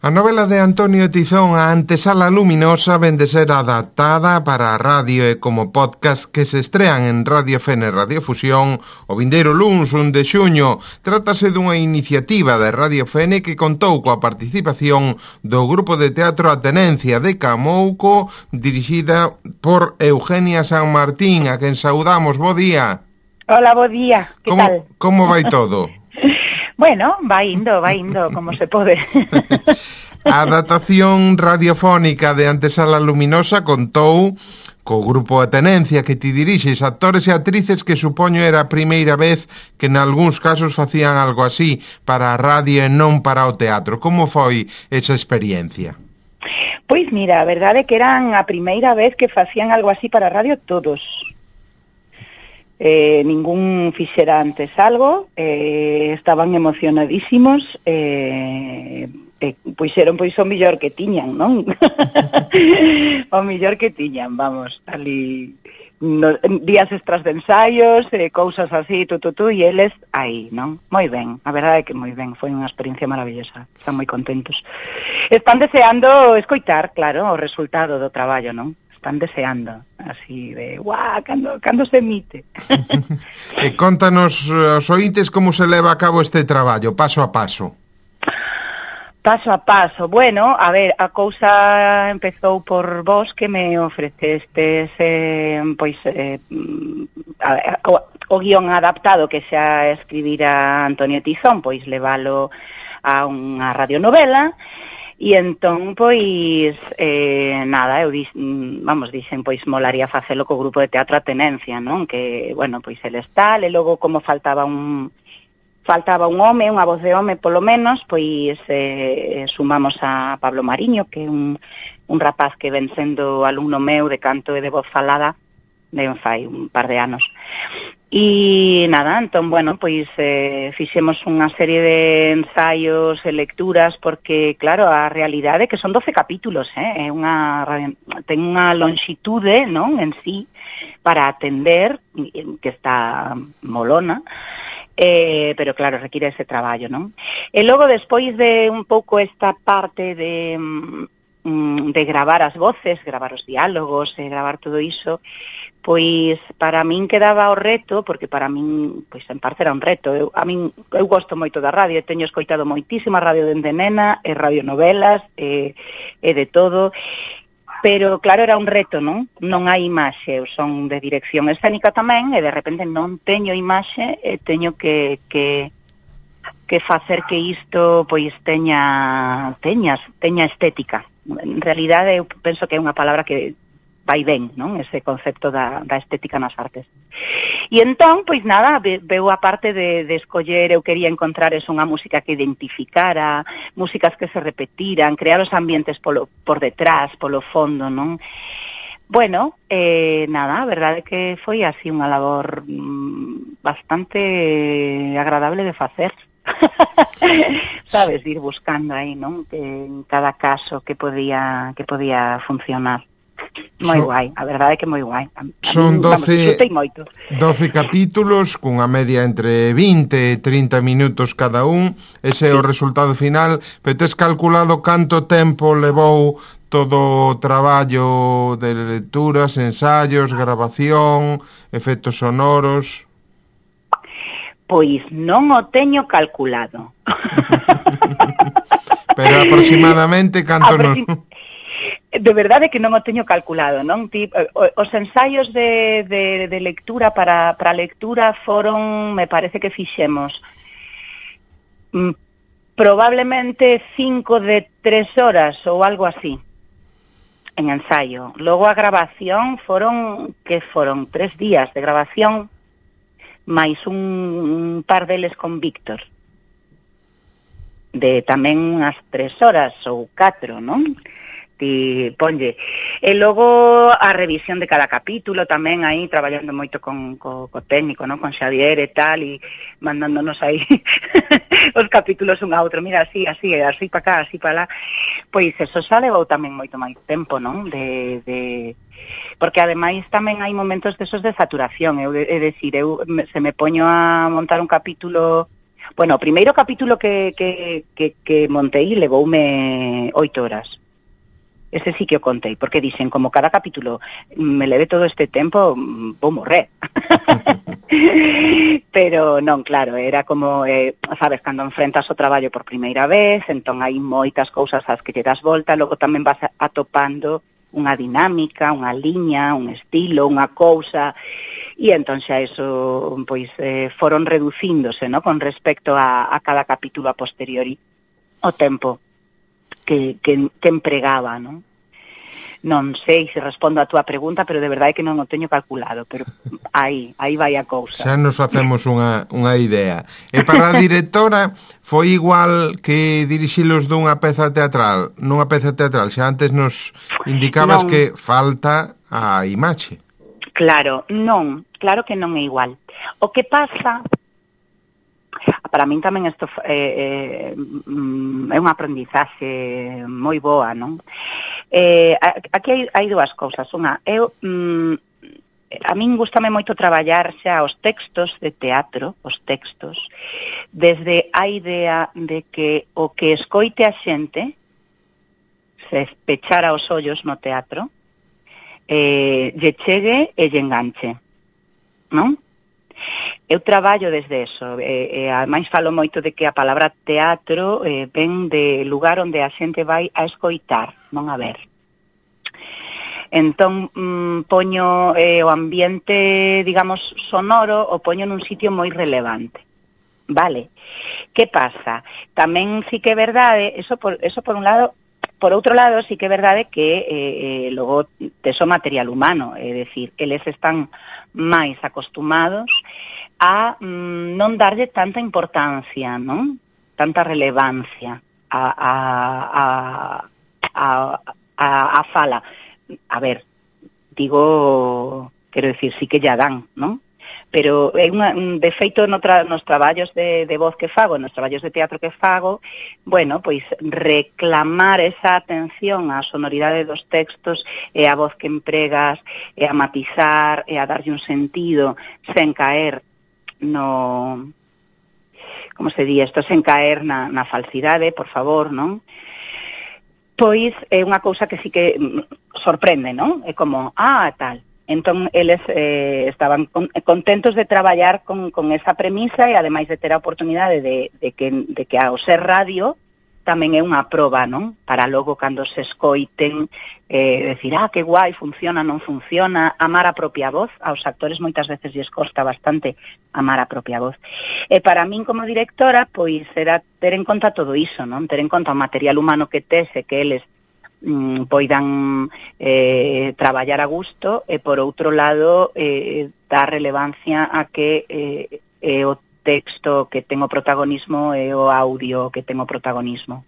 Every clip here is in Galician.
A novela de Antonio Tizón, A Antesala Luminosa, ven de ser adaptada para a radio e como podcast que se estrean en Radio Fene e Radio Fusión o vindeiro luns 1 de xuño. Trátase dunha iniciativa de Radio Fene que contou coa participación do grupo de teatro A Tenencia de Camouco, dirixida por Eugenia San Martín, a quen saudamos. Bo día. Hola, bo día. Que tal? Como vai todo? Bueno, va indo, como se pode. A adaptación radiofónica de Antesala Luminosa contou co grupo A Tenencia que ti dirixes, actores e actrices que supoño era a primeira vez que nalgúns casos facían algo así para a radio e non para o teatro. Como foi esa experiencia? Pois mira, a verdade é que eran a primeira vez que facían algo así para a radio todos. Ningún fixera antes algo, estaban emocionadísimos, puxeron pois o millor que tiñan, non? O millor que tiñan, vamos, ali días extras de ensaios, cousas así, e eles aí, non? Moi ben, a verdade é que moi ben, foi unha experiencia maravillosa, están moi contentos. Están deseando escoitar, claro, o resultado do traballo, non? Están deseando, así de, guau, cando se emite. E contanos aos ointes como se leva a cabo este traballo, paso a paso. Paso a paso. Bueno, a ver, a cousa empezou por vos que me ofrecestes, o guión adaptado que xa escribira Antonio Tizón, pois levalo a unha radionovela. E entón, pois, nada, eu dixen, pois, molaría facelo co grupo de teatro A Tenencia, non? Que, bueno, pois, el está, e logo como faltaba un home, unha voz de home, polo menos, pois, sumamos a Pablo Mariño, que é un rapaz que ven sendo alumno meu de canto e de voz falada, fai un par de anos. E nada, entón, bueno, pois fixemos unha serie de ensaios e lecturas porque, claro, a realidade é que son 12 capítulos, ten unha longitude, non, en sí, para atender, que está molona, pero claro, require ese traballo, non? E logo, despois de un pouco esta parte de gravar as voces, gravar os diálogos, gravar todo iso, pois para min quedaba o reto, porque para min, pois en parte era un reto. Eu gosto moito da radio, teño escoitado moitísima radio dende nena, e radionovelas, e de todo, pero claro, era un reto, non? Non hai imaxe, eu son de dirección escénica tamén, e de repente non teño imaxe, e teño que facer que isto pois teña estética. En realidade eu penso que é unha palabra que vai ben, non? Ese concepto da estética nas artes. E entón, pois nada, veu a parte de escoller, eu quería encontrar unha música que identificara, músicas que se repetiran, crear os ambientes por detrás, polo fondo, non? Bueno, nada, a verdade é que foi así unha labor bastante agradable de facer. Sabes, ir buscando aí, non? Que en cada caso que podía funcionar. Moi guai, a verdade é que moi guai. Son 12 capítulos cunha media entre 20 e 30 minutos cada un. Ese é o resultado final. Pero tes calculado canto tempo levou todo o traballo de lecturas, ensaios, grabación, efectos sonoros? Pois non o teño calculado. Pero aproximadamente canto non? De verdade que non o teño calculado, non? Os ensaios de lectura para lectura foron, me parece que fixemos probablemente 5 de 3 horas ou algo así en ensayo. Logo a grabación foron 3 días de grabación máis un par deles con Víctor, de tamén unhas 3 horas ou 4, non? Ponlle. E logo a revisión de cada capítulo tamén aí, traballando moito co técnico, non? Con Xavier e tal, e mandándonos aí os capítulos un a outro, mira, así para cá, así para lá. Pois eso xa levou tamén moito máis tempo, non? Porque ademais tamén hai momentos desos de saturación, se me poño a montar un capítulo Bueno, o primeiro capítulo que montei levoume 8 horas. Ese sí que o contei, porque dicen, como cada capítulo me leve todo este tempo, vou morrer. Pero non, claro, era como, sabes, cando enfrentas o traballo por primeira vez, entón hai moitas cousas ás que lle das volta, logo tamén vas atopando unha dinámica, unha liña, un estilo, unha cousa, e entón xa eso, pois, foron reducíndose, ¿no?, con respecto a cada capítulo a posteriori, o tempo que empregaba, non? Non sei se respondo a túa pregunta, pero de verdade que non o teño calculado, pero aí vai a cousa. Xa nos facemos unha idea. E para a directora foi igual que dirixilos dunha peza teatral, nunha peza teatral, xa antes nos indicabas que falta a imaxe. Claro, non, claro que non é igual. O que pasa, para min tamén isto é unha aprendizaxe moi boa, non? Aquí hai dúas cousas. Unha, a min gustame moito traballar xa os textos de teatro, desde a idea de que o que escoite a xente, se pechara os ollos no teatro, lle chegue e lle enganche, non? Eu traballo desde eso, ademais falo moito de que a palabra teatro ven de lugar onde a xente vai a escoitar, non a ver. Entón, poño o ambiente, digamos, sonoro, o poño nun sitio moi relevante. Vale. Que pasa? Tamén sí que é verdade, eso por un lado. Por outro lado, sí que é verdade que logo tes o material humano, é dicir, eles están máis acostumados a non darlle tanta importancia, non? Tanta relevancia a fala. A ver, digo, quero dicir, sí que ya dan, non? Pero é un defeito nos traballos de voz que fago, nos traballos de teatro que fago, bueno, pois reclamar esa atención á sonoridade dos textos e a voz que empregas, e a matizar, e a darlle un sentido, sen caer no... Como se di isto? Sen caer na falsidade, por favor, non? Pois é unha cousa que sí que sorprende, non? É como, tal... Entón, eles estaban contentos de traballar con esa premisa e, ademais de ter a oportunidade de que ao ser radio tamén é unha proba, non? Para logo, cando se escoiten, decir, que guai, funciona, non funciona, amar a propia voz. Aos actores moitas veces lles costa bastante amar a propia voz. E para min, como directora, pois era ter en conta todo iso, non? Ter en conta o material humano que tes e que eles poidan traballar a gusto e, por outro lado, dar relevancia a que o texto que ten o protagonismo e o audio que ten o protagonismo.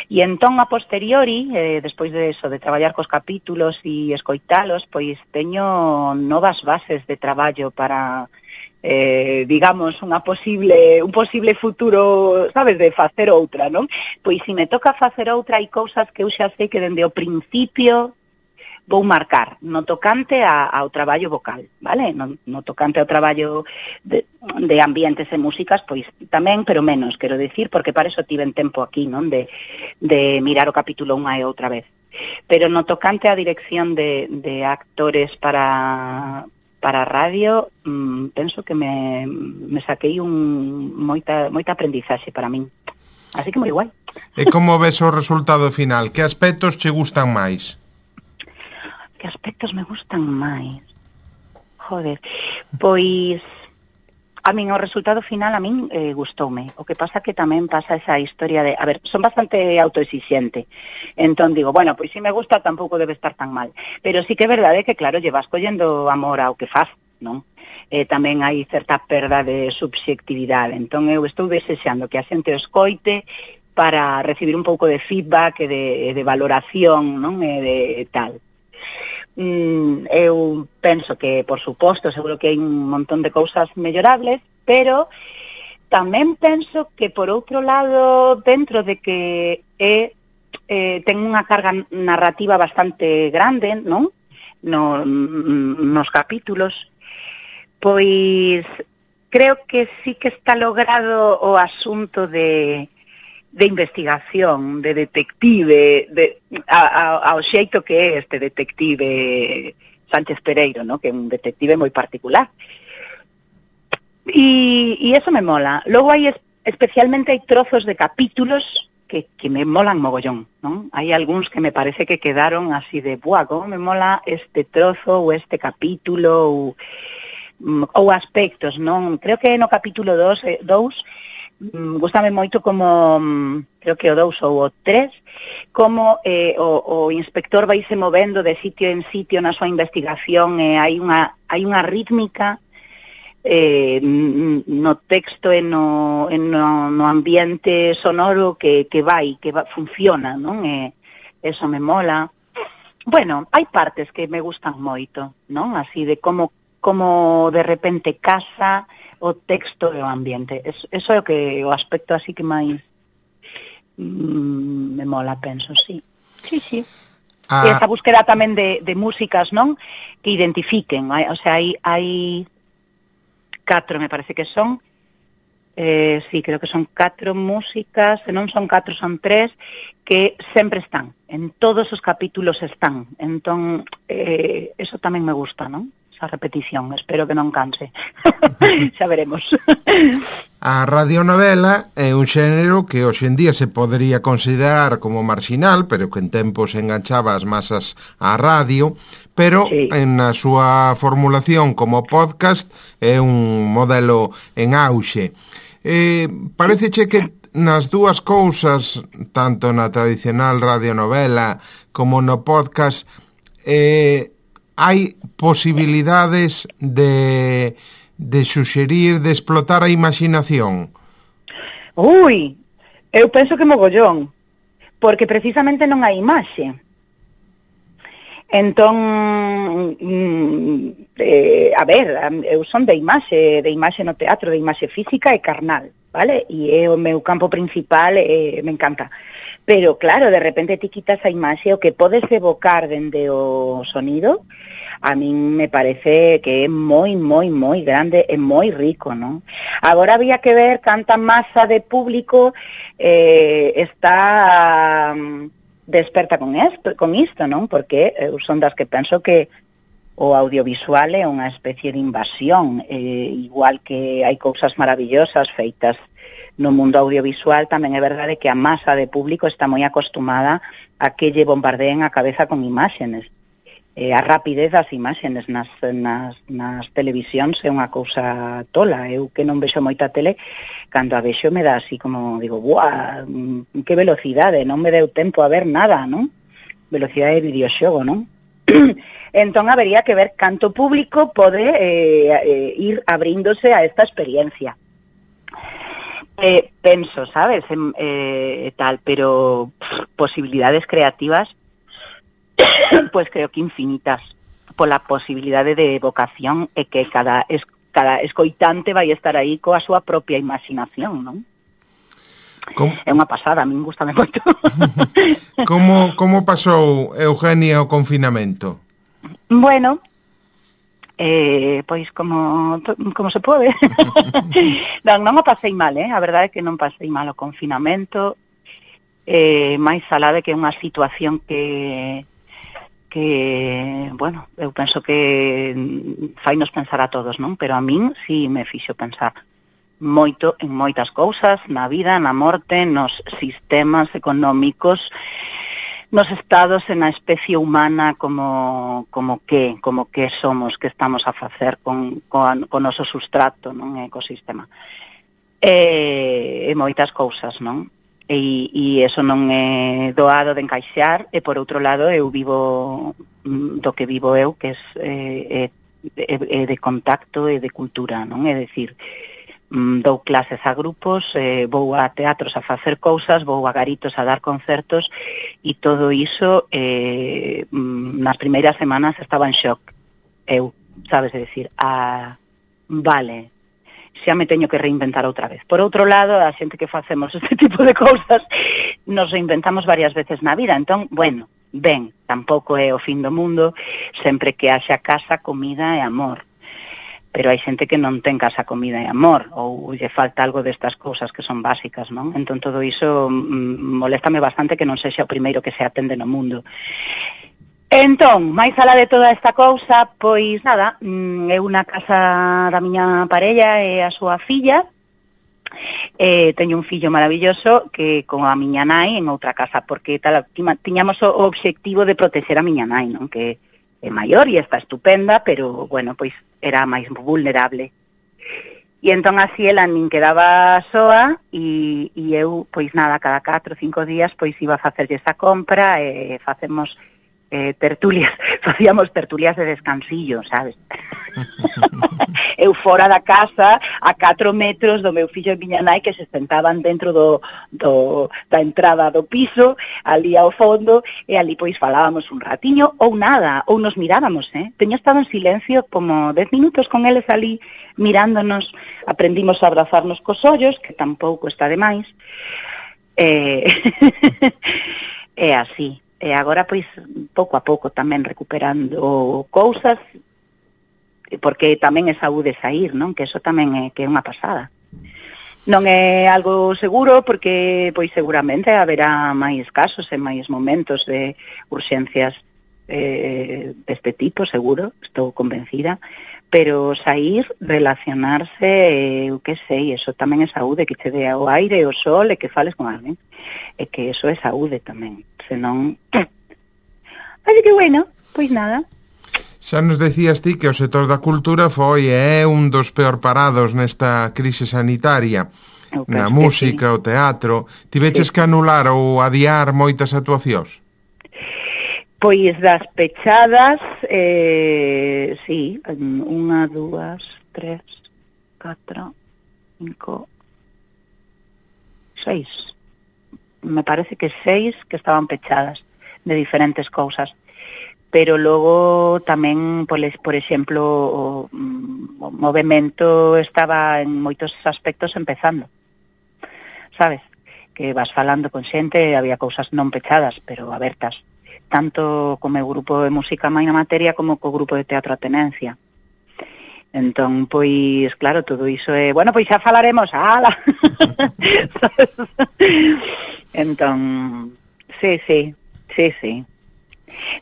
E entón, a posteriori, despois de eso, de traballar cos capítulos e escoitalos, pois teño novas bases de traballo para... digamos, un posible futuro, sabes, de facer outra, non? Pois se me toca facer outra, hai cousas que eu xa sei que dende o principio vou marcar, no tocante ao traballo vocal, vale? No tocante ao traballo de ambientes e músicas, pois tamén, pero menos, quero dicir, porque para eso tiven tempo aquí, non? De mirar o capítulo unha e outra vez. Pero no tocante á dirección de actores para radio, penso que me saquei moita aprendizaxe para min. Así que moi guai. E como ves o resultado final? Que aspectos che gustan máis? Que aspectos me gustan máis? Joder, pois... A min o resultado final a min gustoume. O que pasa que tamén pasa esa historia de... A ver, son bastante autoexixente. Entón digo, bueno, pois se me gusta tampouco debe estar tan mal. Pero sí que é verdade que, claro, llevas collendo amor ao que faz, non? Tamén hai certa perda de subxectividade. Entón eu estou desexando que a xente o escoite para recibir un pouco de feedback e de valoración, non? E de tal. Eu penso que, por suposto, seguro que hai un montón de cousas mellorables, pero tamén penso que, por outro lado, dentro de que ten unha carga narrativa bastante grande, non? Nos capítulos, pois creo que sí que está logrado o asunto de investigación, de detective, ao xeito que é este detective Sánchez Pereiro, ¿no? Que é un detective moi particular. Y eso me mola. Logo especialmente hai trozos de capítulos que me molan mogollón, ¿no? Hai algúns que me parece que quedaron así de, buah, como me mola este trozo ou este capítulo ou aspectos, non? Creo que no capítulo 2 gústame moito como, creo que o 2 ou o 3, como o inspector vaise movendo de sitio en sitio na súa investigación, e hai unha rítmica no texto e no ambiente sonoro que funciona, non? Eso me mola. Bueno, hai partes que me gustan moito, non? Así de como de repente casa o texto e o ambiente. Eso é o aspecto así que máis me mola, penso, sí. Sí. E esa búsqueda tamén de músicas, non? Que identifiquen, o sea, hai 4, me parece que son, sí, creo que son 4 músicas, se non son 4, son 3, que sempre están, en todos os capítulos están, entón, eso tamén me gusta, non? Esa repetición, espero que non canse, xa veremos. A radionovela é un xénero que hoxe en día se podría considerar como marxinal, pero que en tempos enganchaba as masas á radio, pero sí, na súa formulación como podcast é un modelo en auxe. Paréceche que nas dúas cousas, tanto na tradicional radionovela como no podcast, hai posibilidades de suxerir, de explotar a imaginación? Ui, eu penso que mogollón, porque precisamente non hai imaxe. Entón, a ver, eu son de imaxe no teatro, de imaxe física e carnal, vale? E é o meu campo principal, me encanta. Pero, claro, de repente ti quitas a imaxe, o que podes evocar dende o sonido, a min me parece que é moi grande e moi rico, non? Agora había que ver canta masa de público está desperta con isto, non? Porque eu son das que penso que o audiovisual é unha especie de invasión, igual que hai cousas maravillosas feitas no mundo audiovisual, tamén é verdade que a masa de público está moi acostumada a que lle bombardeen a cabeza con imágenes. A rapidez das imágenes nas televisións é unha cousa tola. Eu que non vexo moita tele, cando a vexo me dá así como, digo, buah, que velocidade, non me deu tempo a ver nada, non? Velocidade de videoxogo, non? Entón habería que ver canto público pode ir abríndose a esta experiencia. Penso, sabes, tal, pero posibilidades creativas, pues creo que infinitas, pola posibilidade de evocación e que cada escoitante vai estar aí coa súa propia imaginación, non? É unha pasada, a min gustame moito. Como pasou, Eugenia, o confinamento? Bueno, pois como se pode. non o pasei mal, a verdade é que non pasei mal o confinamento, máis alá de que é unha situación que, bueno, eu penso que fainos pensar a todos, non? Pero a min sí me fixo pensar moito en moitas cousas, na vida, na morte, nos sistemas económicos, nos estados e na especie humana como que somos, que estamos a facer con o noso substrato, non? Ecosistema. E moitas cousas, non? E eso non é doado de encaixar, e por outro lado eu vivo do que vivo eu, que é de contacto e de cultura, non? É dicir, dou clases a grupos, vou a teatros a facer cousas, vou a garitos a dar concertos, e todo iso nas primeiras semanas estaba en shock. Eu, sabes, é dicir, vale, xa me teño que reinventar outra vez. Por outro lado, a xente que facemos este tipo de cousas nos reinventamos varias veces na vida. Entón, bueno, ben, tampouco é o fin do mundo, sempre que haxa casa, comida e amor. pero hai xente que non ten casa, comida e amor, ou lle falta algo destas cousas que son básicas, non? Entón todo iso moléstame bastante que non sexa o primeiro que se atende no mundo. Entón, máis alá de toda esta cousa, pois nada, eu na casa da miña parella e a súa filla, teño un fillo maravilloso que con a miña nai en outra casa, porque tiñamos o obxectivo de protexer a miña nai, non? Que é maior e está estupenda, pero, bueno, pois era máis vulnerable. E entón así ela nin quedaba soa e eu, pois nada, cada 4 ou 5 días pois iba a facerlle esa compra e facemos tertulias, facíamos tertulias de descansillo, sabes? Eu fora da casa a 4 metros do meu fillo e miña nai que se sentaban dentro da entrada do piso, ali ao fondo, e ali pois falábamos un ratiño ou nada, ou nos mirábamos, Teño estado en silencio como 10 minutos con eles ali mirándonos, aprendimos a abrazarnos cos ollos, que tampouco está de máis. É así. E agora, pois, pouco a pouco tamén recuperando cousas, porque tamén é saúde sair, non? Que eso tamén é que é unha pasada. Non é algo seguro, porque, pois, seguramente haberá máis casos e máis momentos de urxencias deste tipo, seguro, estou convencida, pero sair, relacionarse, eu que sei, eso tamén é saúde, que che dea o aire, o sol, e que fales con alguén, e que eso é saúde tamén. Senón... Así que, bueno, pois nada. Xa nos decías ti que o sector da cultura foi e é un dos peor parados nesta crise sanitaria. Na música, o teatro. Tiveches que anular ou adiar moitas actuacións? Pois das pechadas, sí, 1, 2, 3, 4, 5, 6... me parece que 6 que estaban pechadas de diferentes cousas, pero logo tamén, por exemplo, o movemento estaba en moitos aspectos empezando, sabes? Que vas falando con xente, había cousas non pechadas, pero abertas, tanto co meu grupo de música Maina Materia como co grupo de teatro Atenencia. Entón, pois, claro, todo iso é... Bueno, pois xa falaremos, ala! Entón, sí.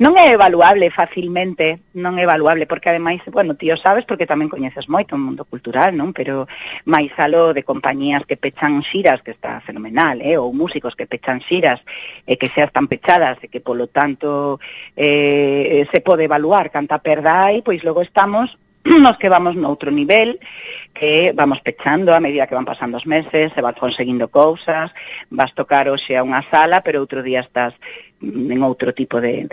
Non é evaluable facilmente, non é evaluable, porque ademais, bueno, ti o sabes porque tamén coñeces moito o mundo cultural, non? Pero máis aló de compañías que pechan xiras, que está fenomenal, ou músicos que pechan xiras e que xa están pechadas e que, polo tanto, se pode evaluar canta perda hai, pois logo estamos nos que vamos noutro nivel, que vamos pechando a medida que van pasando os meses, se vas conseguindo cousas, vas tocar hoxe a unha sala, pero outro día estás en outro tipo de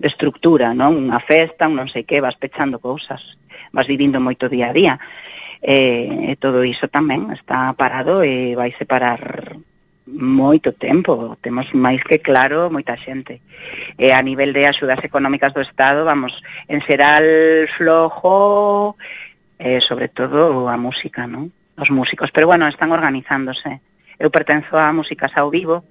estructura, non? Unha festa, un non sei que, vas pechando cousas, vas vivindo moito día a día, e todo iso tamén está parado e vai separar moito tempo, temos máis que claro moita xente. E a nivel de axudas económicas do Estado, vamos, en xeral flojo, sobre todo a música, non? Os músicos, pero bueno, están organizándose. Eu pertenzo a Músicas ao Vivo,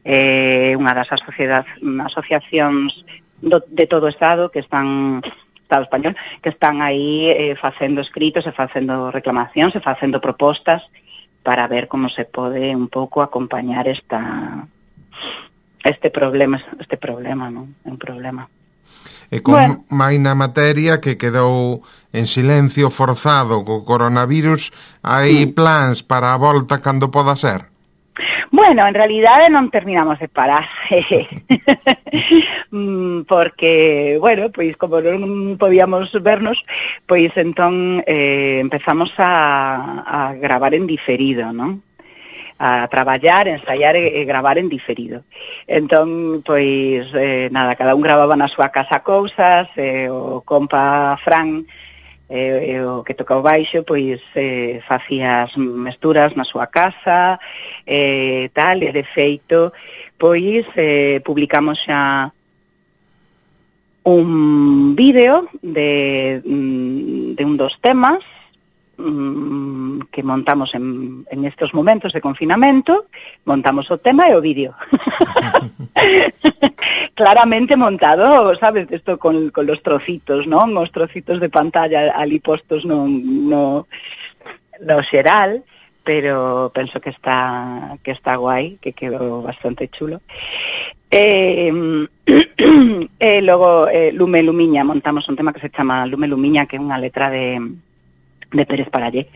unha das asociacións de todo o Estado que están... Estado español, que están aí facendo escritos e facendo reclamacións e facendo propostas para ver como se pode un pouco acompañar este problema, non? É un problema. E con Maina Materia, que quedou en silencio forzado co coronavirus, hai plans para a volta cando poda ser? Bueno, en realidade non terminamos de parar, porque, bueno, pois como non podíamos vernos, pois entón empezamos a gravar en diferido, non? A traballar, ensaiar e gravar en diferido. Entón, pois, nada, cada un gravaba na súa casa cousas, o compa Fran, o que toca o baixo, pois facía as mesturas na súa casa, tal, e de feito, pois publicamos xa un vídeo de un dos temas que montamos en estes momentos de confinamento, montamos o tema e o vídeo. claramente montado, sabes, esto con los trocitos, ¿no? Os trocitos de pantalla ali postos no xeral, pero penso que está guai, que quedou bastante chulo. Logo Lume Lumiña, montamos un tema que se chama Lume Lumiña, que é unha letra de Pérez Parallé.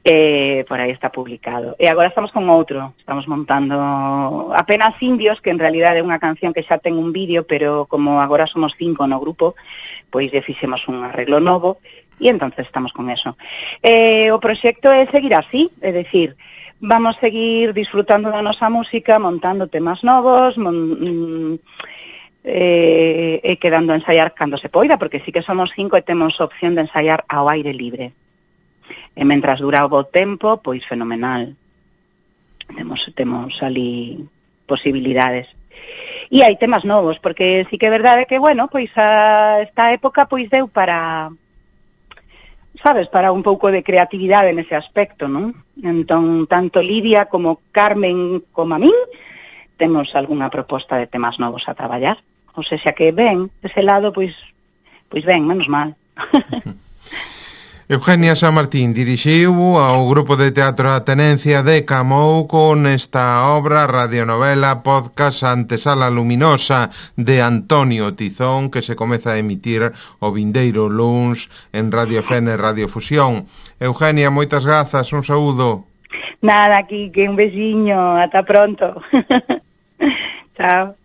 Por aí está publicado. E agora estamos con outro, estamos montando Apenas Indios, que en realidad é unha canción que xa ten un vídeo, pero como agora somos 5 no grupo, pois lle fixemos un arreglo novo, e entonces estamos con eso. O proxecto é seguir así, é dicir, vamos seguir disfrutando da nosa música, montando temas novos, e quedando a ensaiar cando se poida, porque sí que somos 5 e temos opción de ensaiar ao aire libre. E mentras dura o bo tempo, pois fenomenal. Temos ali posibilidades. E hai temas novos, porque sí que é verdade que, bueno, pois esta época pois deu para, sabes, para un pouco de creatividade nese aspecto, non? Entón, tanto Lidia como Carmen como a min temos algunha proposta de temas novos a traballar. Ou seja que ben, ese lado, pois ben, menos mal. Eugenia San Martín dirixiu ao grupo de teatro A Tenencia de Camouco nesta obra radionovela podcast Antesala Luminosa de Antonio Tizón, que se comeza a emitir o vindeiro luns en Radio Fene Radio Fusión. Eugenia, moitas grazas, un saúdo. Nada, aquí, que un besiño, ata pronto. Chao.